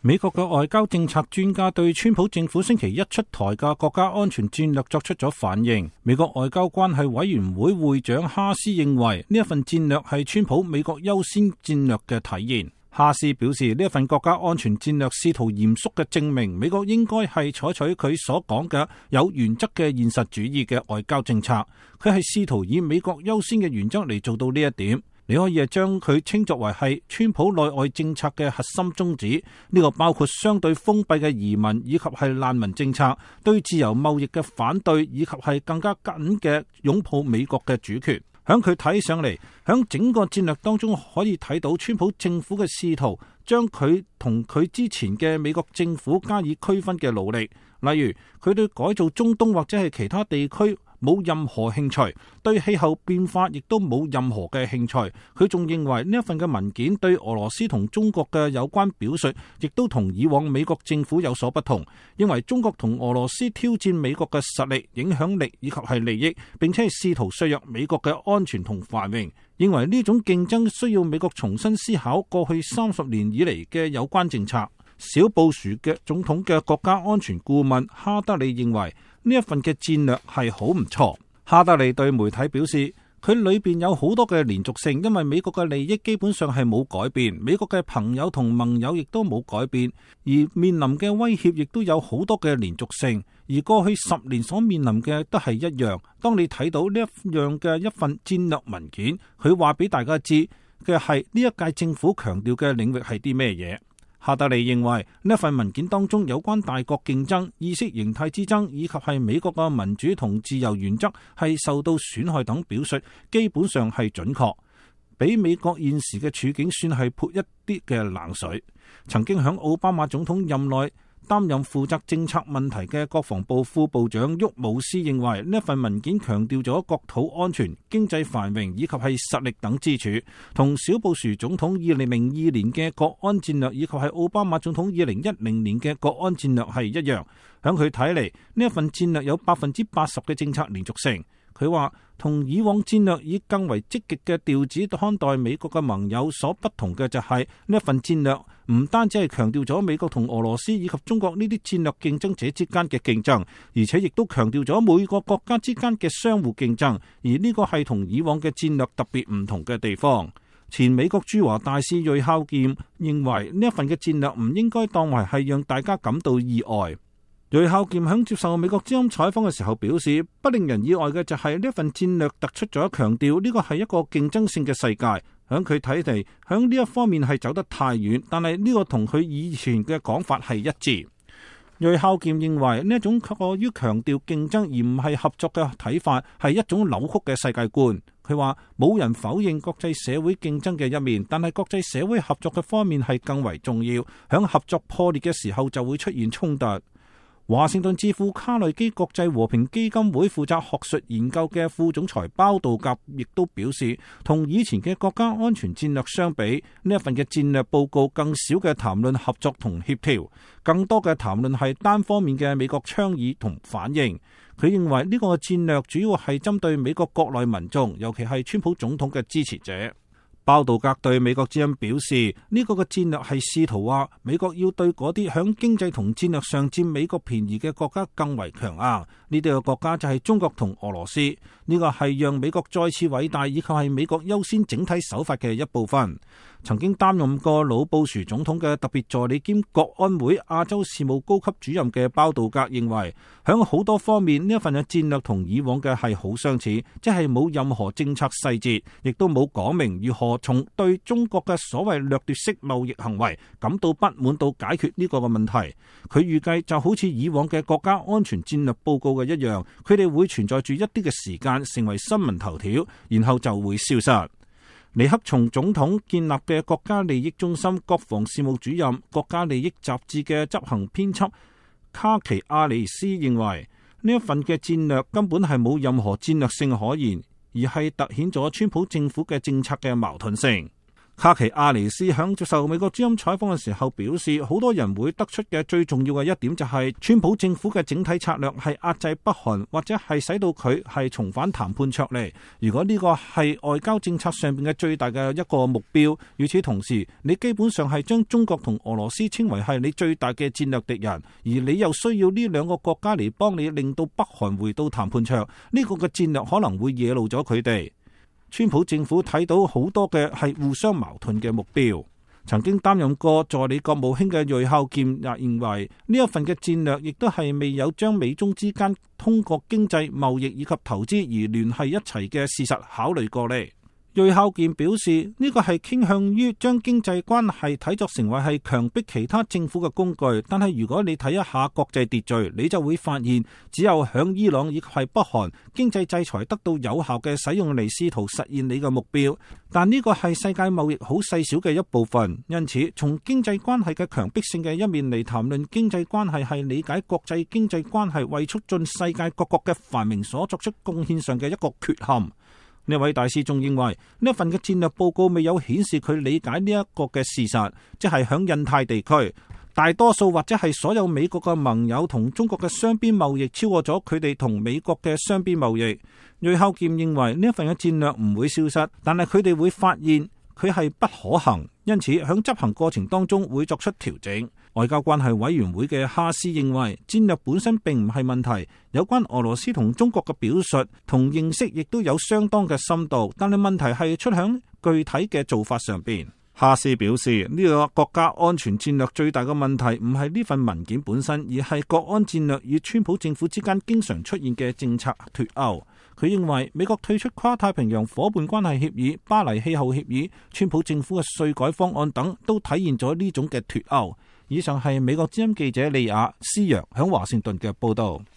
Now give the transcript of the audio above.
美國嘅外交政策專家對川普政府星期一出台嘅國家安全戰略作出咗反應。美國外交關係委員會會長哈斯認為呢一份戰略係川普美國優先戰略嘅體現。哈斯表示，呢一份國家安全戰略試圖嚴肅嘅證明美國應該係採取佢所講嘅有原則嘅現實主義嘅外交政策。佢係試圖以美國優先嘅原則嚟做到呢一點。你可以係將佢稱作為係川普內外政策嘅核心宗旨，呢個包括相對封閉嘅移民以及係難民政策，對自由貿易嘅反對，以及係更加緊嘅擁抱美國嘅主權。響佢睇上嚟，響整個戰略當中可以睇到川普政府嘅試圖將佢同佢之前嘅美國政府加以區分嘅努力，例如佢對改造中東或者係其他地區冇任何興趣，對氣候變化亦都冇任何嘅興趣。佢仲認為呢一份嘅文件對俄羅斯同中國嘅有關表述，亦都同以往美國政府有所不同。認為中國同俄羅斯挑戰美國嘅實力、影響力以及係利益，並且係試圖削弱美國嘅安全同繁榮。認為呢種競爭需要美國重新思考過去30年以嚟嘅有關政策。小布殊嘅總統嘅國家安全顧問哈德利認為呢一份嘅戰略係好唔錯。哈德利對媒體表示，佢裏邊有好多嘅連續性，因為美國嘅利益基本上係冇改變，美國嘅朋友同盟友亦都冇改變，而面臨嘅威脅亦都有好多嘅連續性，而過去10年所面臨嘅都係一樣。當你睇到呢一樣嘅一份戰略文件，佢話俾大家知嘅係呢一屆政府強調嘅領域係啲咩嘢。哈德利認為呢一份文件當中有關大國競爭、意識形態之爭以及係美國嘅民主同自由原則係受到損害等表述，基本上係準確，比美國現時嘅處境算係潑一啲嘅冷水。曾經響奧巴馬總統任內擔任負責政策問題嘅國防部副部長沃姆斯認為呢一份文件強調咗國土安全、經濟繁榮以及係實力等支柱，同小布殊總統2002年嘅國安戰略以及係奧巴馬總統2010年嘅國安戰略係一樣。響佢睇嚟，呢一份戰略有80%嘅政策連續性。佢話同以往戰略以更為積極嘅調子看待美國嘅盟友所不同嘅就係呢一份戰略唔單止係強調咗美國同俄羅斯以及中國呢啲戰略競爭者之間嘅競爭，而且亦都強調咗每個國家之間嘅相互競爭，而呢個係同以往嘅戰略特別唔同嘅地方。前美國駐華大使瑞孝劍認為呢一份嘅戰略唔應該當為係讓大家感到意外。瑞孝劍喺接受美國之音採訪嘅時候表示，不令人意外嘅就係呢份戰略突出咗強調呢個係一個競爭性嘅世界。響佢睇嚟，響呢一方面係走得太遠，但係呢個同佢以前嘅講法係一致。瑞孝劍認為呢一種過於強調競爭而唔係合作嘅睇法係一種扭曲嘅世界觀。佢話冇人否認國際社會競爭嘅一面，但係國際社會合作嘅方面係更為重要。響合作破裂嘅時候就會出現衝突。華盛頓智庫卡內基國際和平基金會負責學術研究嘅副總裁包道格亦都表示，同以前嘅國家安全戰略相比，呢一份嘅戰略報告更少嘅談論合作同協調，更多嘅談論係單方面嘅美國倡議同反應。佢認為呢個戰略主要係針對美國國內民眾，尤其係川普總統嘅支持者。包道格對美國之音表示，呢個嘅戰略係試圖話美國要對嗰啲響經濟同戰略上佔美國便宜嘅國家更為強硬。呢啲嘅國家就係中國同俄羅斯。呢個係讓美國再次偉大，以及係美國優先整體手法嘅一部分。曾經擔任過老布殊總統嘅特別助理兼國安會亞洲事務高級主任嘅包道格認為，響好多方面呢一份嘅戰略同以往嘅係好相似，即係冇任何政策細節，亦都冇講明如何從對中國嘅所謂掠奪式貿易行為感到不滿到解決呢個嘅問題。佢預計就好似以往嘅國家安全戰略報告嘅一樣，佢哋會存在住一啲嘅時間成為新聞頭條，然後就會消失。尼克松總統建立嘅國家利益中心國防事務主任、國家利益雜誌嘅執行編輯卡奇亞尼斯認為，呢一份嘅戰略根本係冇任何戰略性可言，而係凸顯咗川普政府嘅政策嘅矛盾性。卡奇亞尼斯響接受美國之音採訪嘅時候表示，好多人會得出嘅最重要嘅一點就係，川普政府嘅整體策略係壓制北韓，或者係使到佢係重返談判桌嚟。如果呢個係外交政策上邊嘅最大嘅一個目標，與此同時，你基本上係將中國同俄羅斯稱為係你最大嘅戰略敵人，而你又需要呢兩個國家嚟幫你令到北韓回到談判桌，呢個嘅戰略可能會惹怒咗佢哋。川普政府睇到好多嘅係互相矛盾嘅目標。曾經擔任過助理國務卿嘅瑞孝健也認為，呢一份嘅戰略亦都係未有將美中之間通過經濟、貿易以及投資而聯繫一齊嘅事實考慮過嚟。瑞孝健表示，呢個係傾向於將經濟關係睇作成為係強迫其他政府嘅工具，但係如果你睇一下國際秩序，你就會發現，只有響伊朗以及係北韓經濟制裁得到有效嘅使用嚟試圖實現你嘅目標，但呢個係世界貿易好細小嘅一部分。因此，從經濟關係嘅強迫性嘅一面嚟談論經濟關係，係理解國際經濟關係為促進世界各國嘅繁榮所作出貢獻上嘅一個缺陷。呢位大使仲認為，呢一份嘅戰略報告未有顯示佢理解呢一個嘅事實，即係響印太地區，大多數或者係所有美國嘅盟友同中國嘅雙邊貿易超過咗佢哋同美國嘅雙邊貿易。瑞孝健認為呢一份嘅戰略唔會消失，但係佢哋會發現佢係不可行，因此響執行過程當中會作出調整。外交關係委員會嘅哈斯認為，戰略本身並唔係問題，有關俄羅斯同中國嘅表述同認識亦都有相當嘅深度，但係問題係出響具體嘅做法上邊。哈斯表示，呢個國家安全戰略最大嘅問題唔係呢份文件本身，而係國安戰略與川普政府之間經常出現嘅政策脫鈎。佢認為美國退出跨太平洋夥伴關係協議、巴黎氣候協議、川普政府嘅稅改方案等，都體現咗呢種嘅脫鈎。以上係美國之音記者利亞斯揚響華盛頓嘅報道。